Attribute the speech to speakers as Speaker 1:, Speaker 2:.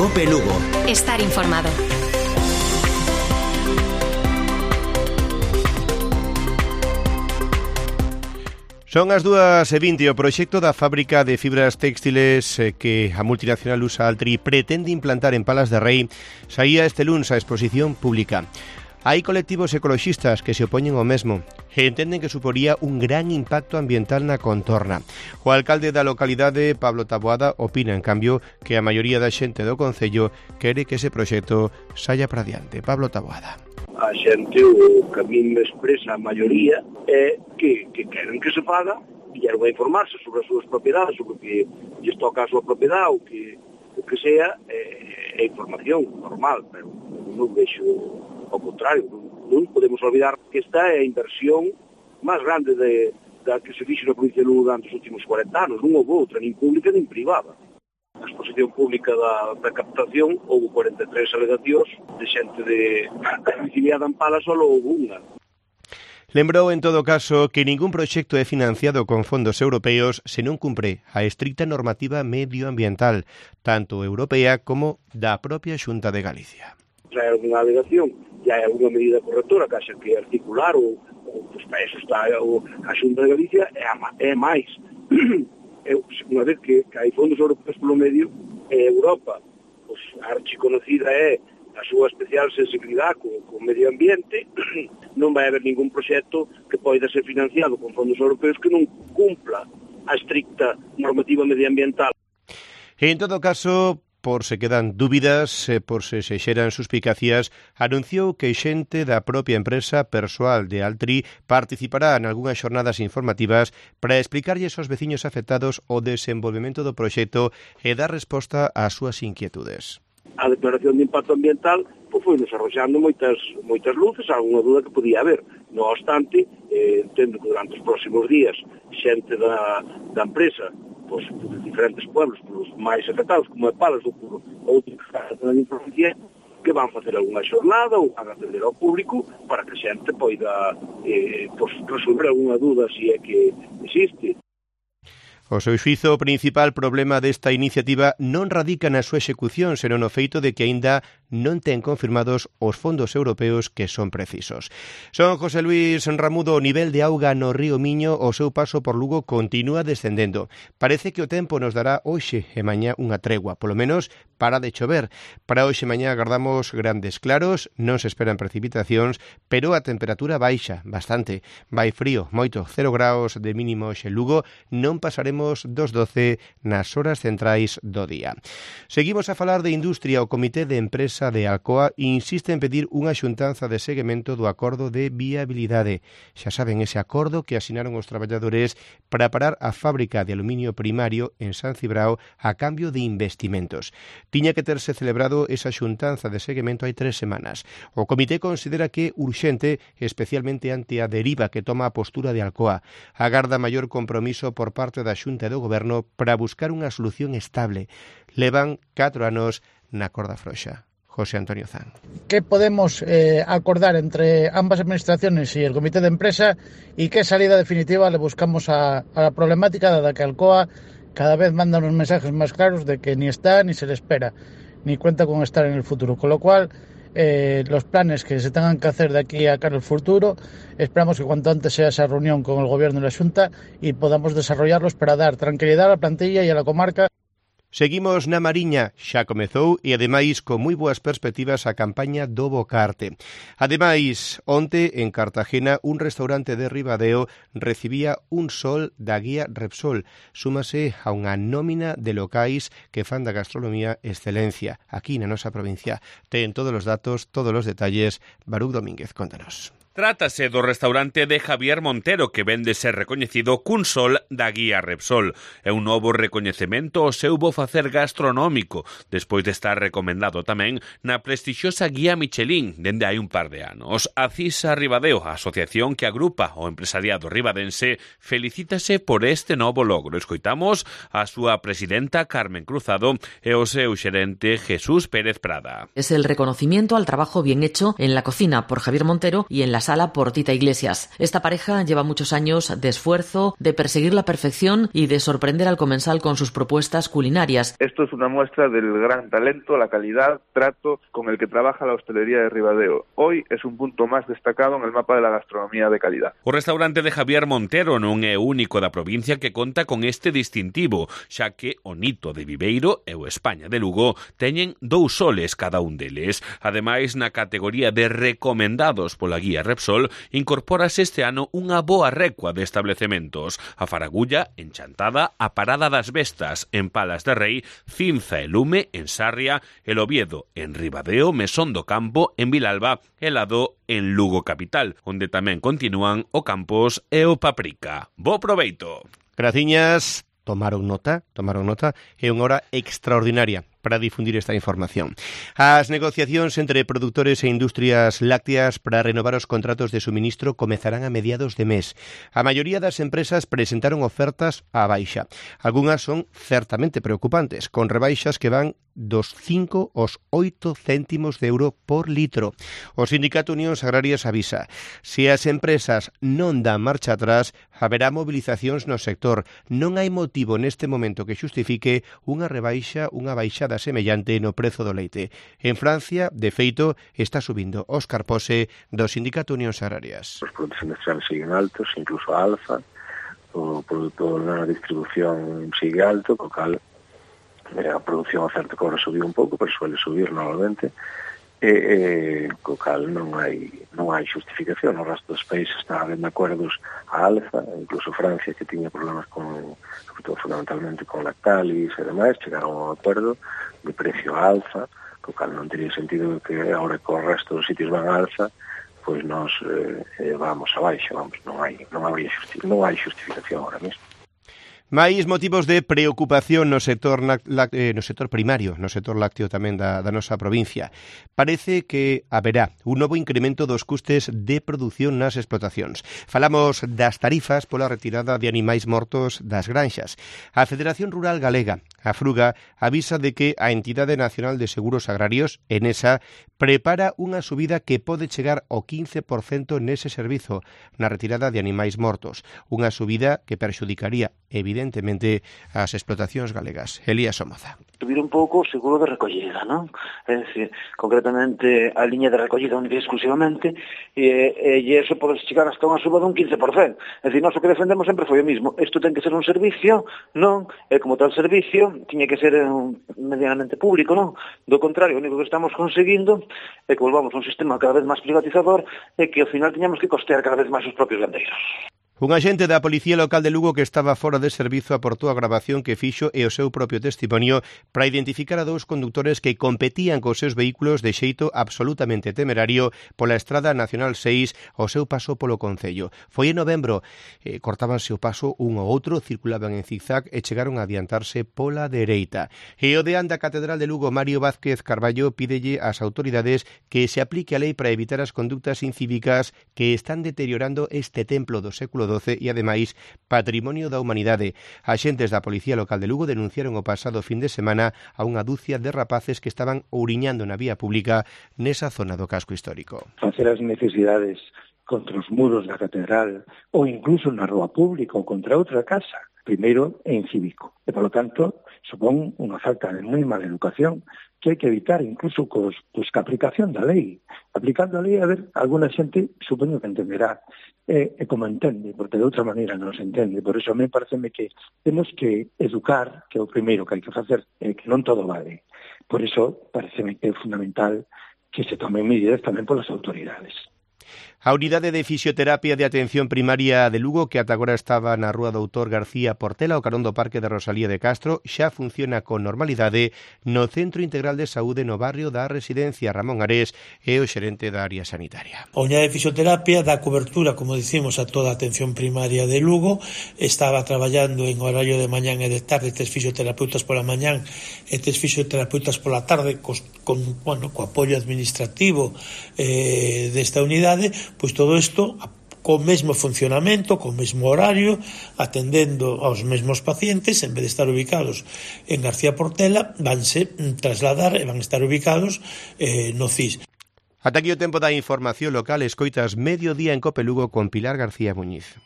Speaker 1: Cope Lugo.
Speaker 2: Estar informado.
Speaker 3: Son as 2:20. O proxecto da fábrica de fibras textiles que a multinacional USA Altri pretende implantar en Palas de Rei saía este luns a exposición pública. Hai colectivos ecoloxistas que se opoñen ao mesmo e entenden que suporía un gran impacto ambiental na contorna. O alcalde da localidade, Pablo Taboada, opina, en cambio, que a maioría da xente do concello quere que ese proxecto saia para diante. Pablo Taboada.
Speaker 4: A xente, o que a min me expresa a maioría, é que queren que se faga, vieron a informarse sobre as súas propiedades, sobre o que lles toca a súa propiedade, o que sea, é información normal, pero non vexo ao contrario. Non podemos olvidar que esta é a inversión máis grande da que se fixo na provincia de Lugo durante os últimos 40 anos. Non houve outra, nin pública nin privada. Na exposición pública da captación houve 43 alegacións de xente domiciliada en Palas, só houve unha.
Speaker 3: Lembrou, en todo caso, que ningún proxecto é financiado con fondos europeos se non cumpre a estricta normativa medioambiental, tanto europea como da propia Xunta de Galicia.
Speaker 4: Se hai alguna alegación, já hai alguna medida correctora que haxa que articular ou pois para eso está a Xunta de Galicia, é máis. Unha vez que hai fondos europeos polo medio, Europa, pois, a archiconocida é a súa especial sensibilidade co medio ambiente, non vai haber ningún proxecto que poida ser financiado con fondos europeos que non cumpla a estricta normativa medioambiental.
Speaker 3: En todo caso, por se quedan dúbidas, por se xeran suspicacias, anunciou que xente da propia empresa persoal de Altri participará en algunhas xornadas informativas para explicarlles aos veciños afectados o desenvolvemento do proxecto e dar resposta ás súas inquietudes.
Speaker 4: A declaración de impacto ambiental foi desarrollando moitas luces, alguna dúda que podía haber. No obstante, entendo que durante os próximos días xente da empresa, pois, de diferentes pueblos, polos máis afectados, como é Palas ou por outros da provincia, que van facer algunha xornada ou van atender ao público para que a xente poida resolver algunha dúda se é que existe.
Speaker 3: O seu xuízo, o principal problema desta iniciativa non radica na súa execución, senón no feito de que aínda non ten confirmados os fondos europeos que son precisos. Son José Luis Ramudo, o nivel de auga no río Miño, o seu paso por Lugo continúa descendendo. Parece que o tempo nos dará hoxe e mañá unha tregua, polo menos para de chover. Para hoxe e mañá agardamos grandes claros, non se esperan precipitacións, pero a temperatura baixa bastante. Vai frío, moito, 0 graus de mínimo hoxe en Lugo, non pasaremos dos 12 nas horas centrais do día. Seguimos a falar de industria. O Comité de Empresa de Alcoa insiste en pedir unha xuntanza de seguimento do acordo de viabilidade. Xa saben, ese acordo que asinaron os traballadores para parar a fábrica de aluminio primario en San Cibrao a cambio de investimentos. Tiña que terse celebrado esa xuntanza de seguimento hai 3 semanas. O Comité considera que é urxente, especialmente ante a deriva que toma a postura de Alcoa. Agarda maior compromiso por parte da Xunta do Goberno para buscar unha solución estable. Levan 4 anos na corda frouxa. José Antonio Zan.
Speaker 5: ¿Qué podemos acordar entre ambas administraciones y el comité de empresa y qué salida definitiva le buscamos a la problemática, dada que Alcoa cada vez manda unos mensajes más claros de que ni está ni se le espera, ni cuenta con estar en el futuro? Con lo cual, los planes que se tengan que hacer de aquí a cara al futuro, esperamos que cuanto antes sea esa reunión con el Gobierno y la Xunta y podamos desarrollarlos para dar tranquilidad a la plantilla y a la comarca.
Speaker 3: Seguimos na Mariña, xa comezou e ademais con moi boas perspectivas a campaña do Bocarte. Ademais, onte en Cartagena un restaurante de Ribadeo recibía un sol da guía Repsol. Súmase a unha nómina de locais que fan da gastronomía excelencia aquí na nosa provincia. Ten todos os datos, todos os detalles. Baruch Domínguez, contanos.
Speaker 6: Trátase do restaurante de Javier Montero, que vende ser recoñecido cun sol da guía Repsol. É un novo recoñecemento ao seu bo facer gastronómico, despois de estar recomendado tamén na prestixiosa guía Michelin dende hai un par de anos. A CISA Ribadeo, a asociación que agrupa o empresariado ribadense, felicítase por este novo logro. Escoitamos a súa presidenta Carmen Cruzado e o seu xerente Jesús Pérez Prada.
Speaker 7: Es el reconocimiento al trabajo bien hecho en la cocina por Javier Montero y en las
Speaker 1: Sala por Tita Iglesias. Esta pareja lleva muchos años de esfuerzo, de perseguir la perfección y de sorprender al comensal con sus propuestas culinarias.
Speaker 2: Esto es una muestra del gran talento, la calidad, trato con el que trabaja la hostelería de Ribadeo. Hoy es un punto más destacado en el mapa de la gastronomía de calidad.
Speaker 6: O restaurante de Javier Montero non é o único da provincia que conta con este distintivo, xa que o Nito de Viveiro e o España de Lugo teñen 2 soles cada un deles. Ademais, na categoría de recomendados pola guía Repsol, incorpórase este ano unha boa recua de establecementos. A Faragulla, en Chantada, a Parada das Vestas, en Palas de Rei, Cinza e Lume, en Sarria, el Oviedo, en Ribadeo, Mesón do Campo, en Vilalba, e Lado, en Lugo capital, onde tamén continúan o Campos e o Paprika. Bo proveito!
Speaker 3: Graciñas. Tomaron nota, é unha hora extraordinaria para difundir esta información. As negociacións entre produtores e industrias lácteas para renovar os contratos de suministro comezarán a mediados de mes. A maioría das empresas presentaron ofertas á baixa. Algunhas son certamente preocupantes, con rebaixas que van dos 5 aos 8 céntimos de euro por litro. O Sindicato Unións Agrarias avisa: se as empresas non dan marcha atrás, haberá movilizacións no sector. Non hai motivo neste momento que xustifique unha baixada semellante no prezo do leite. En Francia, de feito, está subindo. Óscar Pose, do Sindicato Unións Agrarias.
Speaker 7: Os produtos industriales siguen altos, incluso a alza, o produto na distribución sigue alto, co cal a produción a certo que ahora subiu un pouco, pero suele subir normalmente, co cal non hai xustificación. O resto dos países están habendo acordos a alza, incluso Francia, que tiña problemas fundamentalmente con Lactalis e demais, chegaron a un acordo de precio a alza, co cal non teria sentido que agora que o resto dos sitios van a alza, pois nós vamos abaixo, non hai justificación ahora mesmo.
Speaker 3: Máis motivos de preocupación no sector primario, no sector lácteo tamén da nosa provincia. Parece que haberá un novo incremento dos custes de produción nas explotacións. Falamos das tarifas pola retirada de animais mortos das granxas. A Federación Rural Galega, a Fruga, avisa de que a Entidade Nacional de Seguros Agrarios, ENESA, prepara unha subida que pode chegar ao 15% nese servizo, na retirada de animais mortos. Unha subida que perxudicaría, evidentemente, as explotacións galegas. Elías Somoza.
Speaker 8: Subir un pouco o seguro de recollida, non? É dicir, concretamente a liña de recollida única e exclusivamente, e iso pode chegar hasta unha suba dun 15%. É dicir, nós o que defendemos sempre foi o mismo. Isto ten que ser un servicio, non? E como tal servicio, tiña que ser medianamente público, non? Do contrario, o único que estamos conseguindo é que volvamos a un sistema cada vez máis privatizador e que ao final teñamos que costear cada vez máis os propios gandeiros.
Speaker 3: Un agente da Policía Local de Lugo que estaba fora de servizo aportou a grabación que fixo e o seu propio testimonio para identificar a 2 condutores que competían cos seus vehículos de xeito absolutamente temerario pola Estrada Nacional 6 ao seu paso polo concello. Foi en novembro, cortábanse o paso un ao outro, circulaban en zigzag e chegaron a adiantarse pola dereita. E o deán da Catedral de Lugo, Mario Vázquez Carballo, pídelle ás autoridades que se aplique a lei para evitar as conductas incívicas que están deteriorando este templo do século XII e, ademais, patrimonio da humanidade. Axentes da Policía Local de Lugo denunciaron o pasado fin de semana a unha dúcia de rapaces que estaban ouriñando na vía pública nesa zona do casco histórico.
Speaker 9: Facer as necesidades contra os muros da catedral ou incluso na rúa pública ou contra outra casa, primeiro é incívico. E, polo tanto, supón unha falta de moi mala educación que hai que evitar incluso cos que a aplicación da lei. Aplicando a lei, a ver, alguna xente supoño que entenderá e como entende, porque de outra maneira non se entende. Por iso a mí pareceme que temos que educar, que é o primeiro que hai que facer, que non todo vale. Por iso pareceme que é fundamental que se tomen medidas tamén polas autoridades.
Speaker 3: A Unidade de Fisioterapia de Atención Primaria de Lugo, que ata agora estaba na Rúa Doutor García Portela, o carón do Parque de Rosalía de Castro, xa funciona con normalidade no Centro Integral de Saúde no barrio da Residencia. Ramón Arés é o xerente da área sanitaria.
Speaker 10: A Unidade de Fisioterapia dá cobertura, como dicimos, a toda a atención primaria de Lugo. Estaba traballando en horario de mañán e de tarde, 3 fisioterapeutas pola mañán e 3 fisioterapeutas pola tarde, co apoio administrativo desta unidade. Pois todo isto co mesmo funcionamento, co mesmo horario, atendendo aos mesmos pacientes, en vez de estar ubicados en García Portela, vanse trasladar e van estar ubicados no CIS.
Speaker 3: Ata aquí o tempo da información local. Escoitas Mediodía en Cope Lugo con Pilar García Muñiz.